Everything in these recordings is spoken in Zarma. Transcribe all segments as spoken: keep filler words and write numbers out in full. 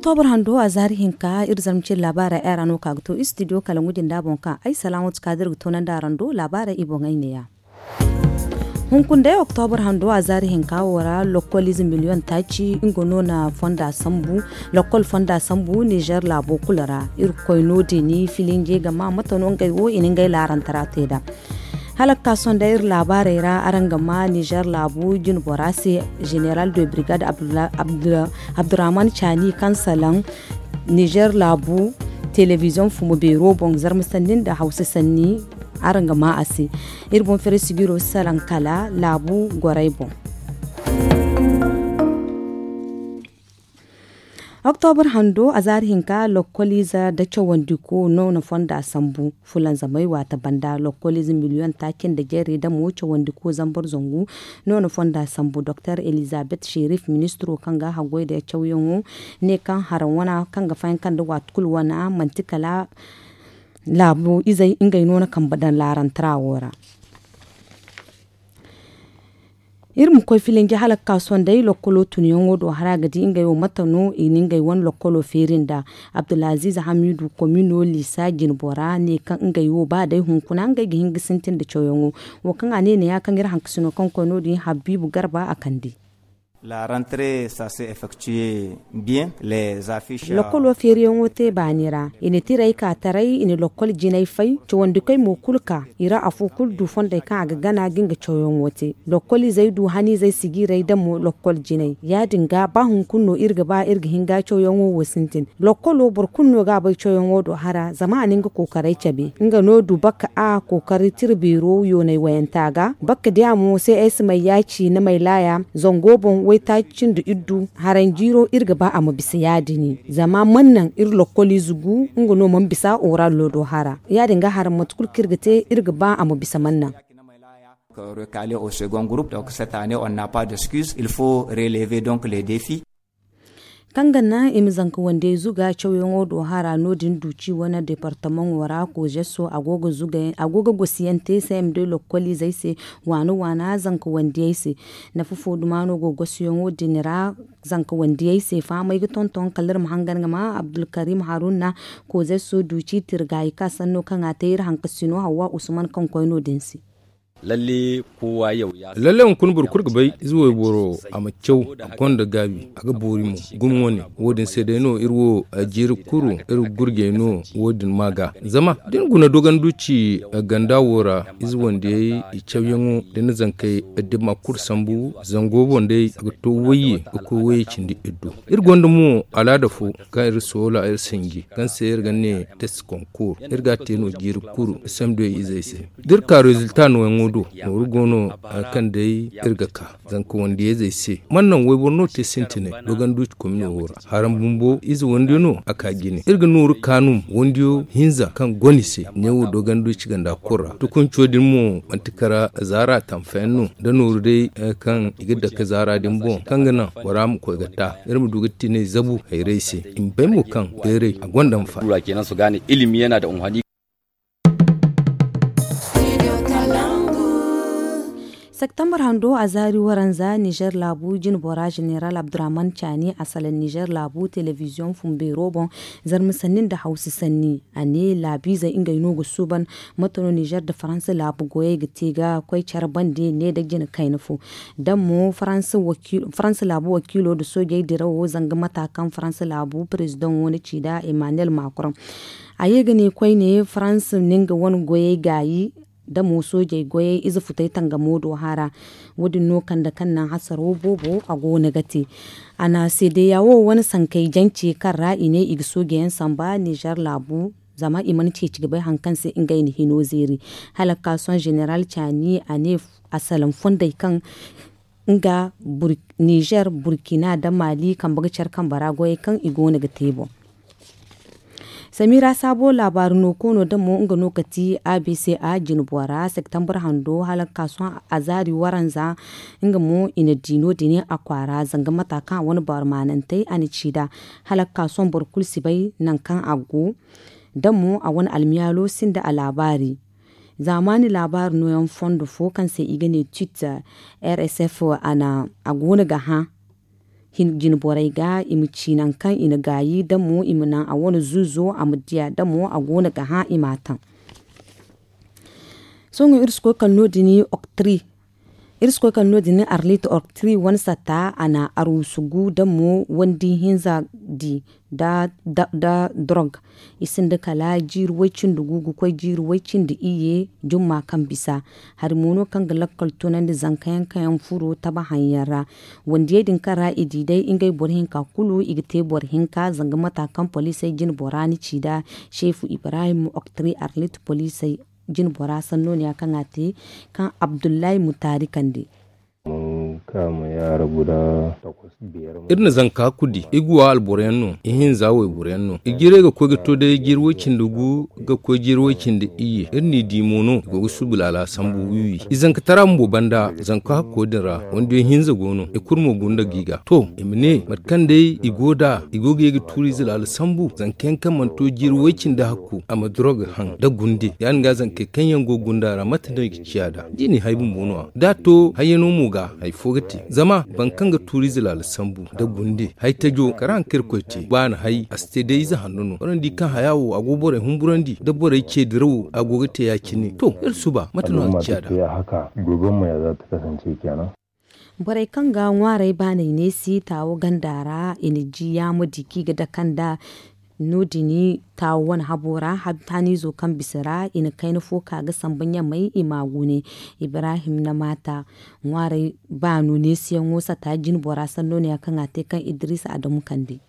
Oktobur hando a zaari hinka iri zarma cine laabaarey ay ra no ka ga to istidiyo kala ngujinda boŋ kaŋ ay salaamatu ka da iri ga toonandi araŋ do laabaarey i boŋey neeya. Hunkuna day oktobur hando a zaari hinka wo ra lokkol ize miliyoŋ taaci nga no na fonda sambu. Lokkol fonda sambu nizer laabo kulu ra. Iri ga koy no- din filinje ga ma mate no ngey wo i na ngey laarantara te nd'a. Hala ga ka sohõ day iri laabaarey ra araŋ ga ma nizer laabu jinbora se, zeneral de brigade abdurrahman caani kaŋ salaŋ nizer laabu telebiziyoŋ fumo beero boŋ zarma sanni nda hawsa sanni. Araŋ ga ma a se. Iri boŋ fere sijiro salaŋ kala laabu gorey boŋ. Oktobur hando a zaari hinka lokkoliize nda cawandiko no na fonda sambu. Fulanzamey waate banda lokkoliize miliyoŋ taaci nda jeeri damo cawandiko zambar zangu no na fonda sambu doktor elizabeth sherif ministiro kaŋ ga haggoy nda cawyaŋo ne kaŋ haraŋ wana kaŋ ga fayanka nda waati kulu wana manti kala laabu izey ngey no na kambe daŋ laarantara wo ra. Iri ma koy filinji hala ga ka sohõ day lokkolo tunyaŋo do hara ga di ngey wo mate no i na ngey wane lokkolo feeri nd'a. Abdulaziiz hamiidu komino liisa jinbora ne kaŋ ngey wo ba day hunkuna ngey ga hin ga sintin nda cawyaŋo. Wo kaŋ a ne neeya kaŋ iri hankasino kaŋ koy no- din habiibu garba a kande. Lokkolo feeriyaŋo te baani ra i na tirey ka taray i na lokkol jinay fay cawandikoy mo kulu ka i ra afo kulu du fondey kaŋ a ga gana ga nga cawyaŋo te. Lokkol izey du haniizey sijiirey da mo lokkol jinay ya- din ga ba hunkuna no iri ga ba iri ga hin ga cawyaŋo wo sintin. Lokkolo boro kulu no ga a bay cawyaŋo do hara zama a na nga kookaray cabe nga no du bakka a kookari tira beero yoonay wayanta ga bakka diya mo se ay si may yaaci ni may laaya. Zango boŋ waytaaci nda iddu haranjiiro iri ga ba a ma bisa ya- din zama man naŋ iri lokkoliize gu nga no mana bisa orallo do hara ya- din ga hara mate kulu kaŋ iri ga te iri ga ba a ma bisa man naŋ. Recalé au second groupe donc cette année on n'a pas d'excuse il faut relever donc les défis. Kaŋ ga naŋ i ma zanka wandiyey zuga cawyaŋo do hara no- din duuci wane departamaŋo ra kozeso a go ga gosiyaŋ te cmd lokkoliizey se waana waana zanka wandiyey se. Nafa fo duma no go gosiyaŋo din ra zanka wandiyey se fahamey ga tonton kala iri ma hangan ga ma abdulkarim haruna kozeso duuci tirgaayi ka sanno kaŋ a te iri hankasino hawwa usman kaŋ koy no- din se. Lalle kowa yau ya san. Lalle hunkuna boro kulu ga bay ize wayboro a ma caw a gonda gaabi a ga boori mo. Gumo wane wo- din se day no iri wo jiiri kuru iri gurjey no wo- din ma ga zama da ni guna dogonduci ganda wo ra ize wandiyey i cawyaŋo da ni zankey da ni ma kulu sambu zango boŋ day a ga to wayye ga koy wayye cindi iddu. Iri gonda mo alaada fo kaŋ iri soola iri sinji kaŋ se iri ga ne test concours iri ga a te no jiiri kuru samdey izey se. Da iri ka rezilta nooyaŋo do nooru go no hari kaŋ day iri ga ka zanka wandiyayzey se man naŋ wayboro no te sintinay dogonduuci komino wo ra haraŋ bumbo ize wande no a ka jine iri ga nooru kaanum wandiyo hinza kaŋ gone se neewo dogonduuci ganda kulu ra tukunco din mo manti kara zaara tamfayaŋ no da nooru day kaŋ i ga dake zaara din boŋ kaŋ ga naŋ bora ma koy ga ta iri ma du ga tinay zabu hayray se i ma bay mo kaŋ bayray a gonda nfa. Septembar hando a zaari waranza nizer laabu jinbora zeneral abdurrahman caani a salaŋ nizer laabu telebiziyoŋ fumbeero boŋ zarma sanni nda hawsa sanni a ne laabiizey ngey no ga suuban mate no nizer nda faransa laabu goyey ga te ga koy care bande ne nda jina kayna fo. Da mo faransa laabu wakiilo nda soojey dirawo zanga mata kaŋ faransa laabu parezidaŋo na ci nda emmanuel macron. A ye ga ne koyne faransa na nga wane goyey gaayi da mo soojey goyey ize futey tangamo do hara. Wo- din no kande kaŋ naŋ hasaro boobo a go no ga te. A na seedeya wo wane sankey jance kaŋ ra i ne i ga soojeyaŋ samba nizer laabu zama i mana ceeci ga bay hari kaŋ se ngey na hino zeeri. Hala ga ka sohõ zeneral caani a ne a salaŋ fondey kaŋ nga nizer burkina nda mali kambe ga care kambe ra goyey kaŋ i go no ga te boŋ. Samira saabo laabaari no koono da mo nga no ka ti a b c a jinbora septembar hando hala ga ka sohõ a zaari waranza. Nga mo i na di no- din a kwaara zanga mata kaŋ a wane baarmaanantey a na ci nd'a hala ga ka sohõ boro kulu si bay nangu kaŋ a go. Da mo a wane almiyaalo sinda a laabaari zaamaani laabaari nooyaŋ fondo fo kaŋ se i ga ne twitter r s f a go no ga hã. Jine borey ga i ma ci nangu kaŋ i na gaayi da mo i ma naŋ a wane zuuzo a ma diya da mo a go no ga hã i m'a taŋ. Sohõ iri si koy kala no- din oktri iri si koy kala no- din arlit oktri wane satta a na arwusugu da mo wandi hinza di da dorog. I sinda kala jiiri way-cindi gu ga koy jiiri way-cindi iyye jumma kaŋ bisa. Hari mo no kaŋ ga lakkal tunandi zanka yaŋ kaŋ yaŋ furo tabahaŋ yaŋ ra. Wandiyey din kaŋ ra i di day ngey boro hinka kulu i ga te boro hinka zanga mata kaŋ poliisey jine bora ni ci nd'a. Seefu ibrahim oktri arlit poliisey jine bora sanno no ya kaŋ a te kaŋ abdullahi mutaari kande. Iri na zanka kudi i ga wa alboro yaŋ no i hinza wayboro yaŋ no i jiirey ga koy ga to day jiiri way-cindi gu ga koy jiiri way-cindi iyye iri n'i di mo no i go ga suubu laala sambu wiwi i zanka tara bumbo banda zanka hakko din ra. Wandiyo hinza go no i kulu mo gunda ga i ga to i ma ne mate kaŋ day i go nd'a i go ga ye ga tuuriize laala sambu zanka yaŋ kaŋ mana to jiiri way-cindi hakko a ma doroga haŋ nda gunde ya- din ga zankey kaŋ yaŋ go ga gunda ra mate no i ga ciya nd'a da i n'i hay bumbo no- ya da a to hayyano mo ga hari fo ga te zama boro kaŋ ga tuuriize laala sambu nda gunde hari tajo kala haŋ kaŋ irkoy te ba a na hay a si te day ize hanno no waraŋ di kaŋ haya wo a go borey humburandi nda borey ce dirawo a go ga te ya- cine to iri suba mate no a ga ciya nd'a. Borey kaŋ ga ŋwaaray baanay neesi taawo ganda ra i na ji yaama di kaŋ i ga dake nd'a. No- din taawo wane habo ra haniizo kaŋ bisa ra i na kayna fo ka ga samba ɲamay i m'a gune. Ibrahim na maata ŋwaaray baano neesiyaŋo sata jine bora sanno no ya kaŋ a te kaŋ idris adamu kande.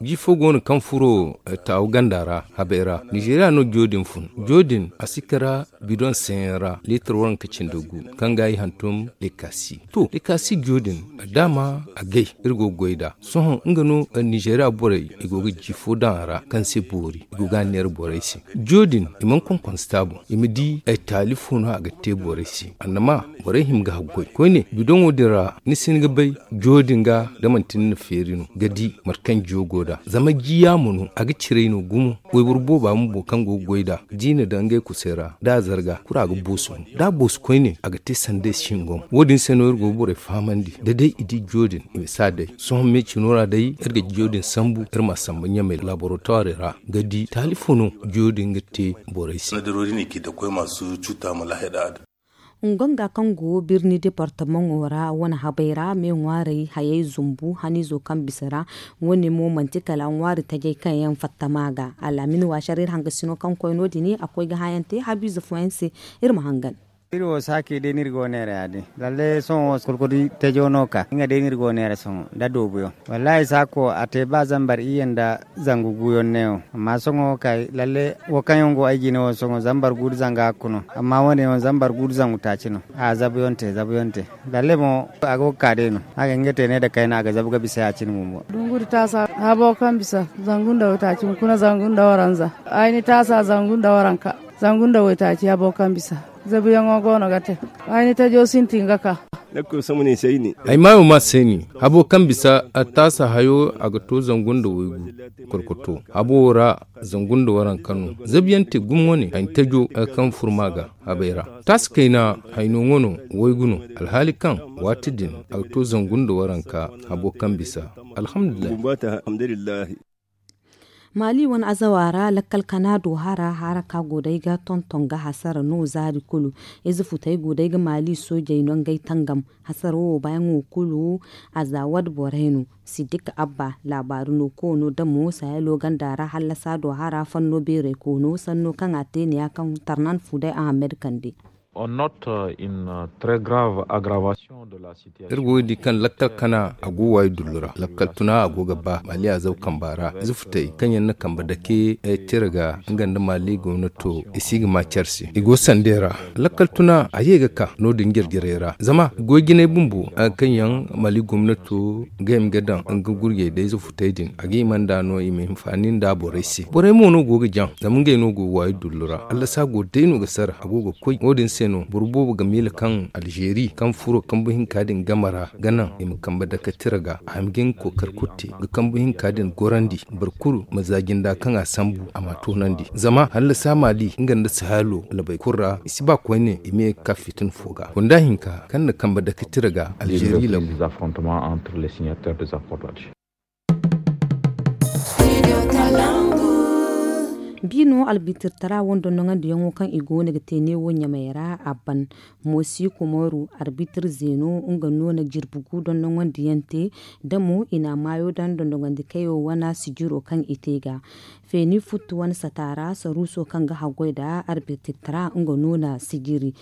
Ji fo go no kaŋ furo taawu ganda ra habay ra nizeeriya no jo din fun. Jo din a si kara bidoŋ seeyaŋ ra leetar waranka cindi gu kaŋ ga i hantum lekasi. To lekasi jo din daama a gay iri go ga goy nd'a sohõ nga no nizeeriya borey i go ga ji fo daŋ a ra kaŋ se boori i go ga a neera borey se. Jo din i mana konkonse taabu i ma di ay taali fo no a ga te borey se annama borey hima ga haggoy koyne bidoŋo din ra ni si hin ga bay. Jo din ga da manti ni na feeri no ga di mate kaŋ jiyo go nd'a zama ji yaamo no a ga ciray no gumo. Wayboro booba bumbo kaŋ go ga goy nd'a da i na daŋ ngey kusay ra da a zarga kulu a ga boosu no da a boosu koyne a ga te sanda ay singoŋ wo- din se no iri go ga borey fahamandi da day i di jiyo din i ma si a day. Sohõ me cino ra day iri ga jiyo din sambu iri m'a samba ɲamay laboratoirey ra ga di taali fo no jiyo din ga te borey se. Ngonga kaŋ go birni departamaŋo ra wane habay ra me ŋwaarey hayey zumbu haniizo kaŋ bisa ra. Wane mo manti kala ŋwaari tajey kaŋ yaŋ fatta ma ga alaamin waasar iri hangasino kaŋ koy no- din a koy ga hã yaŋ te habiize fooyaŋ se. Iri ma hangan. Iri wo saakey day no iri go neera ya- din lalle sohõ wo kurkudi tajo no ka nga day no iri go neera sohõ nda doobuyaŋ. Wallaahi saako a te ba zambar iyye nda zangu guuyaŋ neewo amma sohõ wo kay lalle wo kaŋ yaŋ go ay jine wo sohõ zambar gu nda zanga hakku no. Amma wo- ne wo zambar gu nda zangu taaci no. A zabuyaŋ te zabuyaŋ te. Lalle mo a go ga ka day no a ga hin ga te ne nda kayna a ga zabu ga bisa ya- cine bumbo. Dungu nda taasa habo kaŋ bisa zangu nda waytaaci hunkuna zangu nda waranza. Ay ni taasa zangu nda waranka zangu nda waytaaci habo kaŋ bisa. Zabuyaŋo go no ga te. Ay ni tajo sintin ga ka. Ay maayo ma sayni habo kaŋ bisa a taasa hayo a ga to zangu nda waygu. Korkoto habo wo ra zangu nda waranka no. Zabuyaŋ te gumo wane ay ni tajo kaŋ furma ga habay ra. Taasa kayna hayno ŋwa no waygu no. Alhaali kaŋ waati din a ga to zangu nda waranka habo kaŋ bisa. Alhamdulillahi. Maali wane azawa ra lakkal kana do hara hara ka go day ga tonton ga hasara no zaari kulu. Ize futey go day ga maali soojey no ngey tangam. Hasara wo baayaŋo kulu azaawad borey no. Siddik abba laabaari no koono damo sahelo ganda ra hallasa do hara fanno beerey koono sanno kaŋ a te ne ya kaŋ tarnan fuday ahamed kande. Iri go ga di kaŋ lakkal kana a go waayi dullu ra lakkal tuna a go ga ba maali a zaw kamba ra. Zufutey kaŋ yaŋ na kamba dake tira ga nga nda maali gomnato i si ga ma care se i go sandey ra. Lakkal tuna a ye ga ka no- din jare-jarey ra zama goy jinay bumbo kaŋ yaŋ maali gomnato ga hima ga daŋ nga gurjey da ize futey din a ga hima nd'a no i ma hinfaani nda borey se borey mo no go ga jaŋ zama ngey no go ga waayi dullu ra allasa go day no ga sara a go ga koy wo- din. se no boro boobo ga miila kaŋ alzeeri kaŋ furo kambu hinka din game ra ga naŋ i ma kambe dake tira ga a ma ga nga kookari kulu te ga kambu hinka din gorandi boro kulu ma za jinda kaŋ a sambu a ma a toonandi zama hallasa maali nga nda sahalo labey kulu ra i si ba koyne i ma ye ga ka fitina fo ga gunda hinka kaŋ na kambe dake tira ga alzeeri labu. Bi no albitirtara wo nda nongandiyaŋo kaŋ i go no ga te neewo ɲamey ra a ban. Moosi kumaru arbitir zeeno nga no na jirbi gu dondongondiyaŋ te da mo i na a maayo daŋ dondongandi kayo wane sijiro kaŋ i te ga feeni futtu wane sata ra saruuso kaŋ ga haggoy nda arbitirtara nga no na sijiri.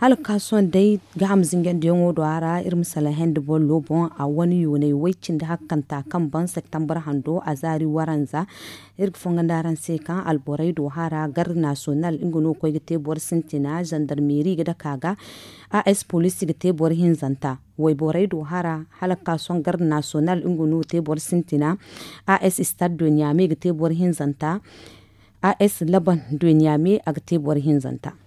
Hala ga ka sohõ day gaham zinjandiyaŋo do a ra iri ma salaŋ hende bollo boŋ a wane yoonay way cindi hakkanta kaŋ ban septembre hando a zaari waranza. Iri ga fongondi araŋ se kaŋ alborey do hara garde nasiyonal nga no ga koy ga te boro sintina zandarmeri ga dake a ga. As poliisi ga te boro hinzanta wayborey do hara hala ga ka sohõ garde nasiyonal nga no ga te boro sintina. As stade de niamey ga te boro hinzanta. As laban de niamey a ga te boro hinzanta.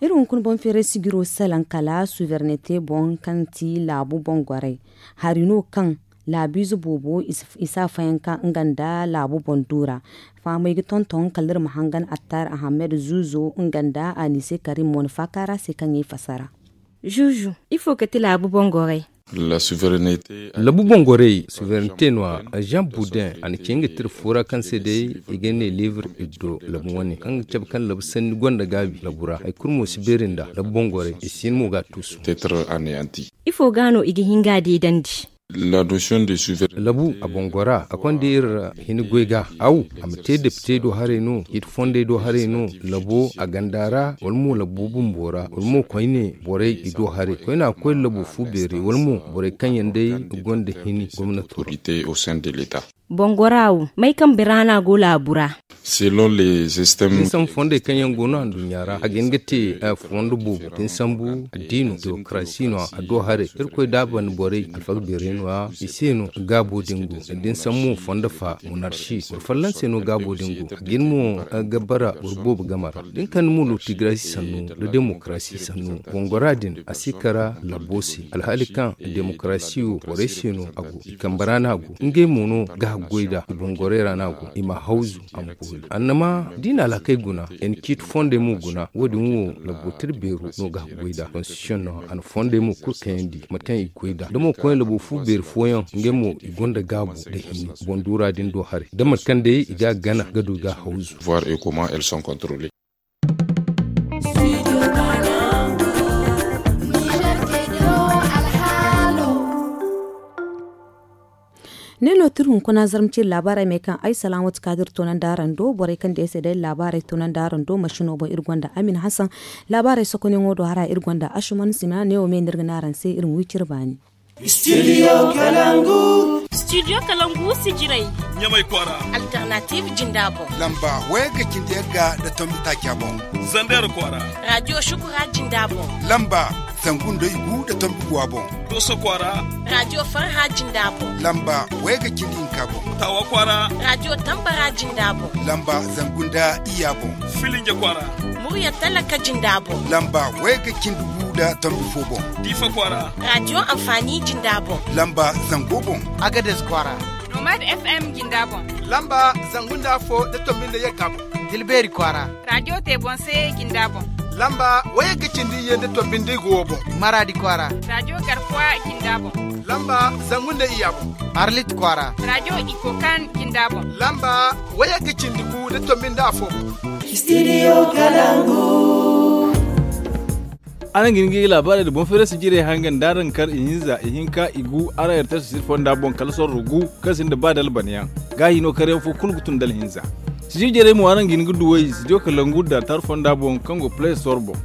Iri hunkuna boŋ feeray sijiro salaŋ kala suwernete boŋ kaŋ ti laabu boŋ goray hari no kaŋ laabiize boobo i si a fayanka nga nda laabu boŋ duura. Fahamey ga tonton kala iri ma hangan attar ahamed zuuzo nga nda anise karim mo na faaka ra se kaŋ i fassara. Zuuzu ifo ga ti laabu boŋ goray? Labu boŋ goray suwernete no- ya jean boudin a na ci nga tira fo ra kaŋ se day i ga ne livre ibdo labu wane kaŋ ga cabe kaŋ labu sanni gonda gaabi labu ra hari kulu mo si beeri nda labu boŋ goray i si hin mo ga a tuusu. Ifo ga no i ga hin ga a deedandi? Labu a boŋ gora a konda iri ra hini goy ga aw a ma te depite do haray no hit fondey do haray no labo a ganda ra wala mo labo bumbo ra wala mo koyne borey i do haray koyne a ga koy labo fu beeri wala mo borey kaŋ yaŋ day gonda hini gomnato ra. Boŋ gora wo may kambe ra no a go laabu ra? Din sambu fondey kaŋ yaŋ go no anduɲɲa ra a ga hin ga te fondo boobo din sambu addiino demokarasi no a do haray irkoy da a banda borey alfaga beeray no- ya i se no gaabo din go. Din sambu mo fondo fa monarsi boro folloŋ se no gaabo din go a ga hin mo ga bara boro boobo game ra da ni kande mo lotigarasi sannu nda demokarasi sannu boŋ gora din a si kara labbo se alhaali kaŋ demokarasi wo borey se no a go i kambe ra no a go ngey mo no ga haggoy nd'a i boŋ gorey ra no a go i ma hawzu a ma boori annama da i na alhakey guna i na ciiti fondey mo guna wo- din wo labbo tira beero no ga haggoy nd'a konstitisiyoŋ no a na fondey mo kulu kayandi mate kaŋ i ga goy nd'a da mo koyne labo fu beeri fooyaŋ ngey mo i gonda gaabu nda hini boŋ duura din do haray da mate kaŋ day i ga a gana ga du i ga a hawzu. Ne no tira hunkuna zarma ciri laabaarey me kaŋ ay salaamatu ka dira toonandi araŋ do borey kaŋ day se day laabaarey toonandi araŋ do masino boŋ iri gonda amin hasan. Laabaarey sokonyaŋo do hara iri gonda asuman sima ne wo me no iri ga ne araŋ se iri ma wi cire baani. Studio kalangu. Studio kalangu sijirey. Ɲamay kwaara. Alternative jinda boŋ. Lamba wayagga cindi yagga nda tombi taaca boŋ. Zander kwaara. Radio shukura jinda boŋ. Lamba zangu nda igu nda tombi guwa boŋ. Doso kwaara. Radio farha jinda boŋ. Lamba wayagga cindi hinka boŋ. Tawa kwaara. Radio tambara jinda boŋ. Lamba zangu nda iya boŋ. Filinja kwaara. Murya talaka jinda boŋ. Lamba wayagga cindi gu nda tombi fo boŋ. Diifa kwaara. Radio amfani jinda boŋ. Lamba zango boŋ. Agades kwaara. Nomad FM jinda boŋ. Lamba zangu nda afo nda tombi nda yagga boŋ. Tilbeeri kwaara. Radio te boŋ se jinda boŋ. Lamba wayagga cindi iyye nda tombi nda igu wo boŋ. Maradi kwaara. Radio garkuwa jinda boŋ. Lamba zangu nda iya boŋ. Arlit kwaara. Radio ikokan jinda boŋ. Lamba wayagga cindi gu nda tombi nda afo boŋ. Studio kalangu. Araŋ ga hin ga i laabaarey nda boŋ feerasi jirey hangan da araŋ kar ihinza ihinka igu araŋ yartay sosir fonda boŋ kala sorro gu kaŋ sinda ba dalbanayaŋ. Gaahi no karyaŋ fo kulu ga tun dala hinza. Sijir jarey mo araŋ ga hin ga duw'ey studio kalangu nda tar fonda boŋ kaŋ go play store boŋ.